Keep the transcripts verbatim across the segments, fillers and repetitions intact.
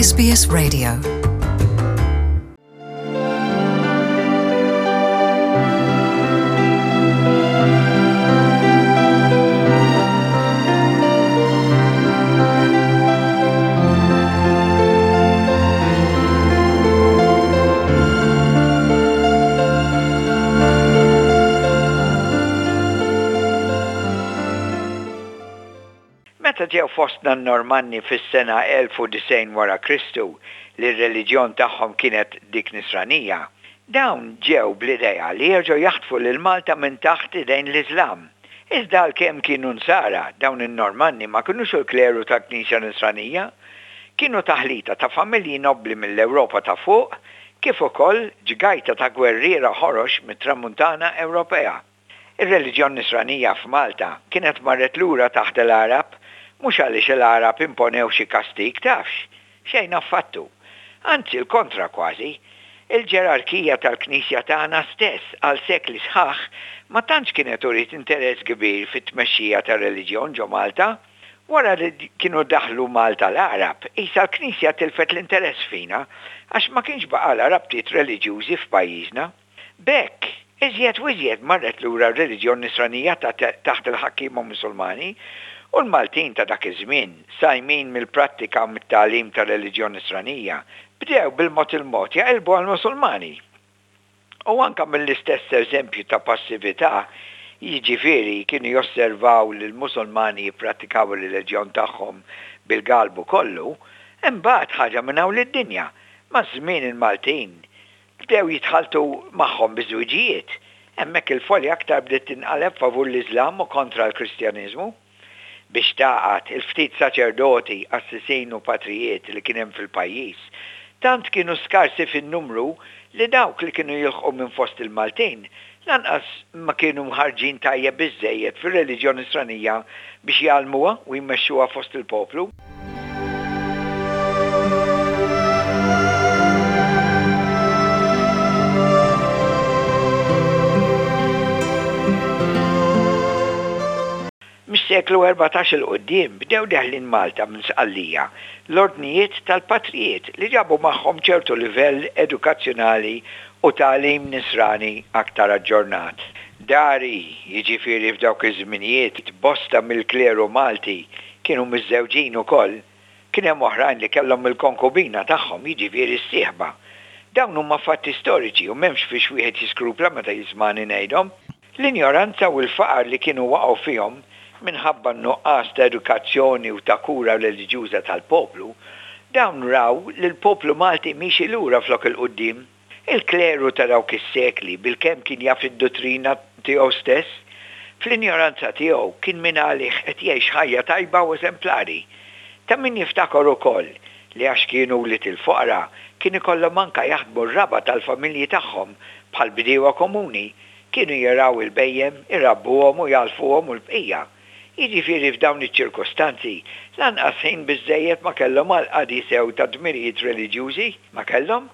S B S Radio. Meta ġew fostna n-Normanni fis-sena elf u disgħin wara Kristu, li r-reliġjon tagħhom kienet dik Nisranija, dawn ġew bl-idea li jerġgħu jaħtfu lil Malta minn taħt idejn l-Iżlam. Iżda għalkemm kienu Nsara, dawn in-Normanni ma kinux il-kleru tal-Knisja Nisranija, kienu taħlita ta' familji nobbli mill-Ewropa ta' fuq kif ukoll ġgajta ta' gwerriera ħorox mit-Tramuntana Ewropea. Ir-reliġjon Nisranija f'Malta kienet marret lura taħt il-Għarab, mhux għaliex il-Għarab imponew xi kastik, tafx, xejn affattu. Anzi, l-kontra kważi, il-ġerarkija tal-Knisja tagħna stess għal sekli sħaħ ma tantx kienet uriet interess kbir fit-tmexxija tar-reliġjon ġo Malta. Wara li kienu daħlu Malta l-Għarab, isa l-Knisja tilfet l-interess fina għax ma kienx baqala rabtiet reliġjużi f'pajjiżna. B'hekk, iżjed u iżjed marret lura r-reliġjon Nisranija taħt il-ħakkiema Musulmani, u l-Maltin ta' dak iż-żmien, sajmin mill-prattika u mit-tagħlim tar-reliġjon Nisranija, bdew bil-mod il-mod jaqilbu għal-Musulmani. U anka mill-istess eżempju ta' passività, jiġifieri kienu josservaw li l-Musulmani jipprattikaw ir-reliġjon tagħhom bil-galbu kollu, imbagħad ħaġa minn hawn lid-dinja, maż-żmien il-Maltin bdew jitħaltu magħhom biż-żwiġijiet. Hemmhekk il-folja aktar bdiet tinqaleb favur l-Iżlam u kontra l-Kristjaniżmu. Biex tagħqad, il-ftit saċerdoti, qassisin u patrijiet li kien hemm fil-pajjiż, tant kienu skarsi fin-numru li dawk li kienu jilħqu minn fost il-Maltin lanqas ma kienu mħarrġin tajjeb biżżejjed fir-reliġjon Nisranija biex jgħallmuha u jmexxuha fost il-poplu. Mis-seklu erbatax 'il quddiem bdew deħlin Malta minn Sqallija l-ordnijiet tal-patrijiet li ġabu magħhom ċertu livell edukazzjonali u tagħlim Nisrani aktar aġġornat. Dari, jiġifieri f'dawk iż-żminijiet, bosta mill-kleru Malti kienu miżżewġin ukoll. Kien hemm oħrajn li kellhom il-konkubina tagħhom, jiġifieri s-sieħba. Dawn huma fatti storiċi u m'hemmx fiex wieħed jiskrupla meta jismani ngħidhom. L-injoranza u l-faqar li kienu waqgħu fihom minħabba n-nuqqas ta' edukazzjoni u ta' kura reliġjuża tal-poplu, dawn raw li l-poplu Malti miexi lura flok 'il quddiem. Il-kleru ta' dawk is-sekli bilkemm kien jaf id-dottrina tiegħu stess. Fl-injoranza tiegħu kien min għalih qed jgħix ħajja tajba u eżemplari. Ta' min jiftakar ukoll li għax kienu wlied il-foqra kien ikollhom anka jaħdmu r-raba' tal-familji tagħhom bħal bdiewa komuni, kienu jirgħu il-bhejjem, irabbuhom u jgħalfuhom u l-bqija. Jiġifieri f'dawn iċ-ċirkostanzi lanqas ħin biżżejjed ma kellhom għal qadi sew ta' dmirijiet reliġjużi ma kellhom.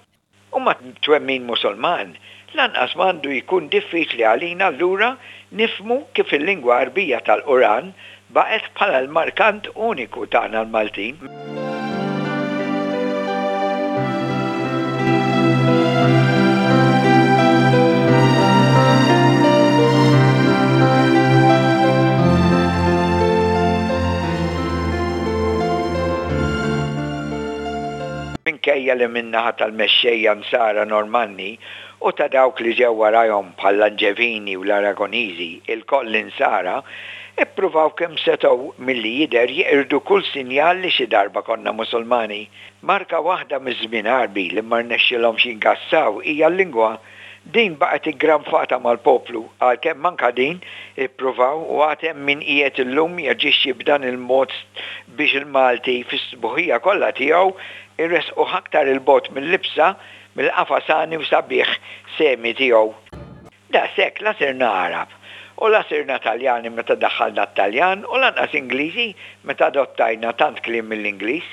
U ma' twemmin Musulman lanqas m'għandu jkun diffiċli għalina allura nifhmu kif il-lingwa Għarbija tal-Quran baqgħet bħala l-markant uniku tagħna l-Maltin. Minkejja li min-naħa tal-mexxejja Nsara Normanni u ta' dawk li ġew warajhom bħall-Anġevini u l-Aragoniżi, ilkoll Insara, ippruvaw kemm setgħu milli jidher jeqirdu kull sinjal li xi darba konna Musulmani, marka waħda miż-żmien Għarbi li ma rnexxilhomx jingassaw hija l-lingwa. Din baqgħet iggranfata mal-poplu, għalkemm anka din ippruvaw u għad hemm min qiegħed illum jaġixxi b'dan il-mod biex il-Malti fis-sbuħija kollha tiegħu jressquh aktar 'il bogħod mill-libsa mill-qafas għani u sabiħ semi tiegħu. Daqshekk la sirna Għarab u la sirna Taljani meta daħħalna t-Taljan u lanqas Ingliżi meta adottajna tant kliem mill-Ingliż.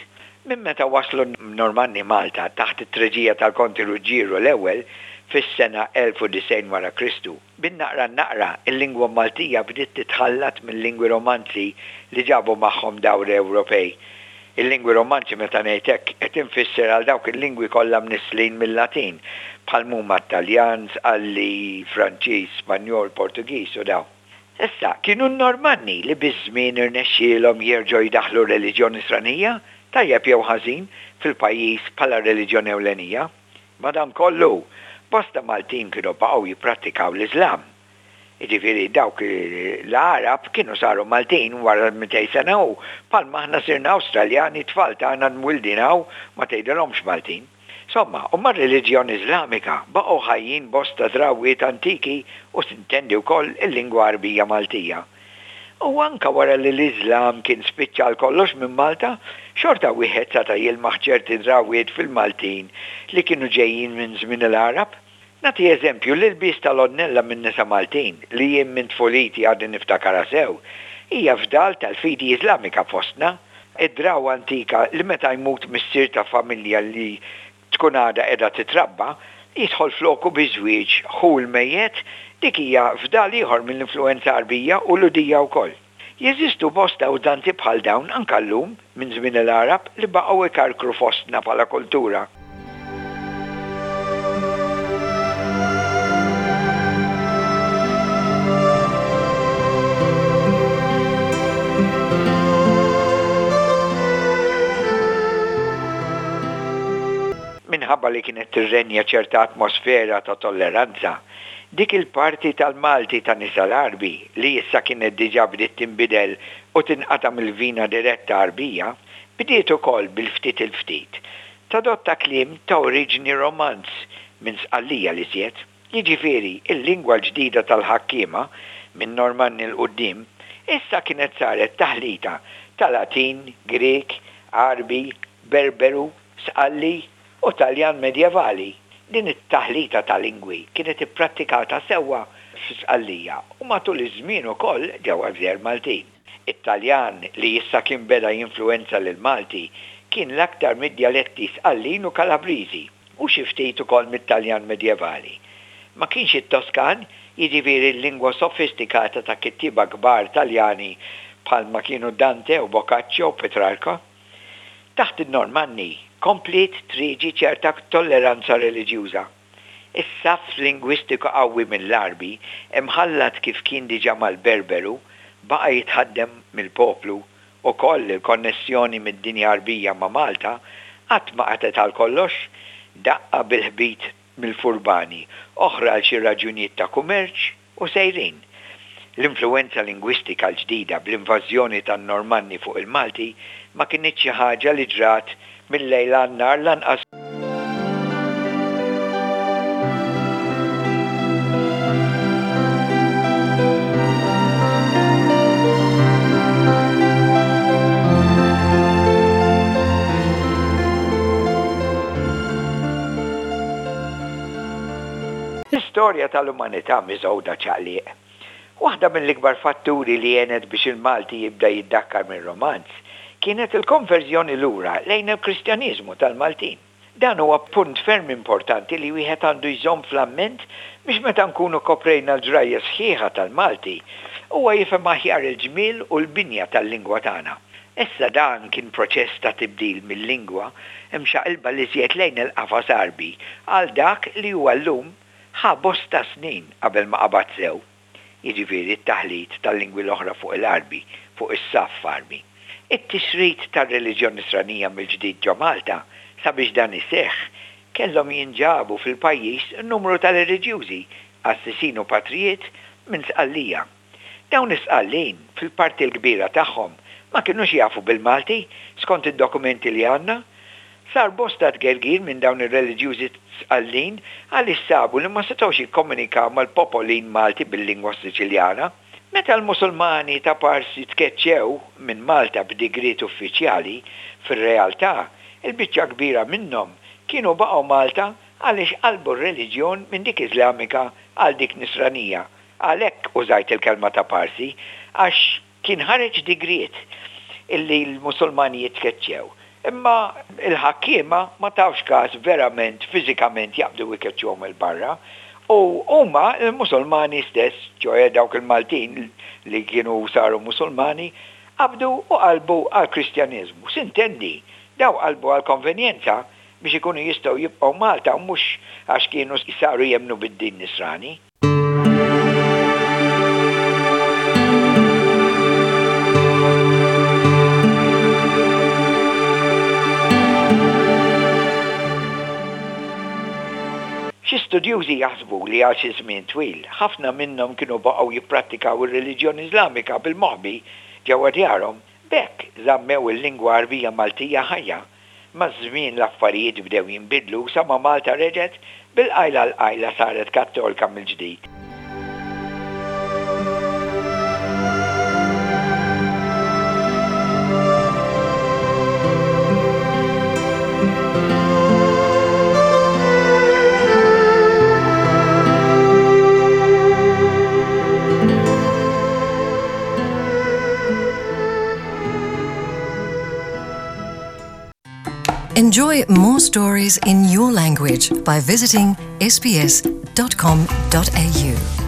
Minn meta waslu n-Normanni Malta taħt it-treġija tal-Konti Ruġġieru l-Ewwel fis-sena elf u disgħin wara Kristu, bin-naqra n-naqra il-lingwa Maltija bdiet titħallat mill-lingwi Romanzi li ġabu magħhom dawn l-Ewropej. Il-lingwi Romanzi, meta ngħid hekk, qed infisser għal dawk il-lingwi kollha mnisslin mill-Latin, bħal huma Taljan, Sqalli, Franċiż, Spanjol, Portugiż u dawn. Issa, kienu n-Normanni li biż-żmien irnexxielhom jerġgħu jdaħħlu reliġjon Nisranija, tajjeb jew ħażin, fil-pajjiż bħala reliġjon ewlenija. Madankollu, bosta Maltin kienu baqgħu jipprattikaw l-Iżlam. Jiġifieri dawk l-Għarab kienu saru Maltin wara mitejn sena u bħalma aħna sirna Awstraljani, tfal tagħna mwildin hawn ma tgħidilhomx Maltin. Insomma, u mar-reliġjon Iżlamika baqgħu ħajjin bosta drawwiet antiki u sintendi wkoll il-lingwa Għarbija Maltija. U anka wara li l-Iżlam kien spiċċa għal kollox minn Malta, xorta wieħed seta' jilmaħ ċerti drawwiet fil-Maltin li kienu ġejjin minn żmien il-Għarab. Nagħti eżempju: l-ilbies tal-għonnella minn nisa Maltin, li jien minn tfuliti għadni niftakarha sew, hija fdal tal-fidi Iżlamika fostna. Id-drawwa antika li meta jmut missier ta' familja li tkun għadha qiegħda titrabba, jidħol floku biż-żwieġ ħu l-mejjet, dik hija fdal ieħor mill-influwenza Għarbija u Lhudija wkoll. Jeżistu bosta użanzi bħal dawn anke llum minn żmien il-Għarab li baqgħu ikarkru fostna bħala kultura. Minħabba li kienet tirrenja ċerta atmosfera ta' tolleranza, dik il-parti tal-Malti ta' nisa l-Għarbi li issa kienet diġà bdiet tinbidel u tinqata' mill-vina diretta Għarbija, bdiet ukoll bil-ftit il-ftit tadotta kliem ta' oriġni Romanz minn Sqallija l-iżjed. Jiġifieri il-lingwa l-ġdida tal-ħakkiema minn Normanni 'l quddiem issa kienet saret taħlita ta' Latin, Grieg, Għarbi, Berberu, Sqalli u Taljan medjevali. Din it-taħlita ta' lingwi kienet ipprattikata sewwa f'Sqallija u matul iż-żmien ukoll ġewwa gżejjer Maltin. It-Taljan li issa kien beda jinfluwenza lill-Malti kien l-aktar mid-djaletti Sqallin u Kalabriżi u xi ftit ukoll mit-Taljan medjevali. Ma kienx it-Toskan, jiġifieri l-lingwa sofistikata ta' kittieba kbar Taljani bħalma kienu Dante u Boccaccio u Petrarca. Taħt in-Normanni kompliet triġi ċerta tolleranza reliġjuża. Is-saff lingwistiku qawwi mill-Għarbi, imħallat kif kien diġà mal-Berberu, baqa' jitħaddem mill-poplu. Ukoll il-konnessjoni mid-dinja Għarbija ma' Malta qatt ma qatgħet għal kollox, daqqa bil-ħbit mill-furbani, oħra għal xi raġunijiet ta' kummerċ u sejrin. L-influwenza lingwistika l-ġdida bl-invażjoni tan-Normanni fuq il-Malti ma kinitx xi ħaġa li ġrat mil-lejl għan-nhar lanqas. L-istorja tal-umanità miżgħuda ċaqliq. Waħda mill-ikbar fatturi li għenet biex il-Malti jibda jiddakkar mir-Romanz kienet il-konverżjoni lura lejn il-Kristjaniżmu tal-Maltin. Dan huwa punt ferm importanti li wieħed għandu jżomm fl-amment biex meta nkunu koprejna l-ġrajja sħiħa tal-Malti, huwa jifhem aħjar il-ġmiel u l-binja tal-lingwa tagħna. Issa dan kien proċess ta' tibdil mill-lingwa imxaqilba l-iżjed lejn il-qafas Għarbi għal dak li huwa llum ħa bosta snin qabel ma qabad sew. Jiġifieri t-taħlit tal-lingwi l-oħra fuq il-Għarbi, fuq is-saff Għarbi. It-tixrid tar-reliġjon Nisranija mill-ġdid ġo Malta, sabiex dan iseħħ, kellhom jinġabu fil-pajjiż numru ta' reliġjużi, qassisin u patrijiet minn Sqallija. Dawn is-Sqallin, fil-parti l-kbira tagħhom, ma kinux jafu bil-Malti, skont id-dokumenti li għandna. Sar bosta tgergir minn dawn ir-reliġjużi Sqallin għaliex sabu li ma setgħux jikkomunikaw mal-popolin Malti bil-lingwa Siċiljana. Meta l-Musulmani ta' Parsi tkeċċew minn Malta b'digriet uffiċjali, fir-realtà, il-biċċa kbira minnhom kienu baqgħu Malta għaliex qalbu r-reliġjon minn dik Iżlamika għal dik Nisranija. Għalhekk użajt il-kelma ta' Parsi, għax kien ħareġ digriet illi l-Musulmani jitkeċċew. Imma l-ħakkiema ma tawx każ verament fiżikament jaqbdu jkeċċuhom 'il barra. U huma l-Musulmani stess, ċoe dawk il-Maltin li kienu saru Musulmani, qabdu u qalbu għall-Kristjaneżmu. Sintendi, dawn qalbu għall-konvenjenza biex ikunu jistgħu jibqgħu Malta u mhux għax kienu saru jemmnu bid-din Nisrani. Xi studjużi jaħsbu li għal xi żmien twil ħafna minnhom kienu baqgħu jipprattikaw ir-reliġjon Iżlamika bil-moħbi ġewwa djarhom. B'hekk żammew il-lingwa Għarbija Maltija ħajja. Maż-żmien l-affarijiet bdew jinbidlu sa ma Malta reġgħet bil-qajla l-qajla saret Kattolika mill-ġdid. Enjoy more stories in your language by visiting S B S dot com dot A U.